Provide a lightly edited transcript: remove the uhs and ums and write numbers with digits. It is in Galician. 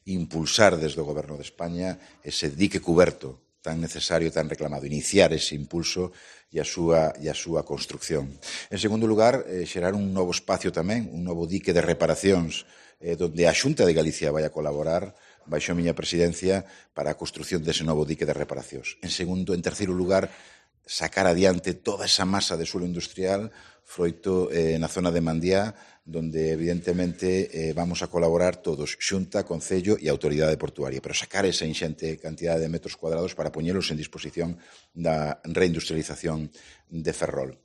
impulsar desde o Goberno de España ese dique cuberto tan necesario, tan reclamado, iniciar ese impulso e a súa construcción. En segundo lugar, xerar un novo espacio tamén, un novo dique de reparacións donde a Xunta de Galicia vai a colaborar baixo a miña presidencia para a construcción dese novo dique de reparacións. En terceiro lugar, sacar adiante toda esa masa de suelo industrial froito na zona de Mandiá, donde evidentemente vamos a colaborar todos, Xunta, Concello e Autoridade Portuaria, pero sacar esa inxente cantidade de metros cuadrados para poñelos en disposición da reindustrialización de Ferrol.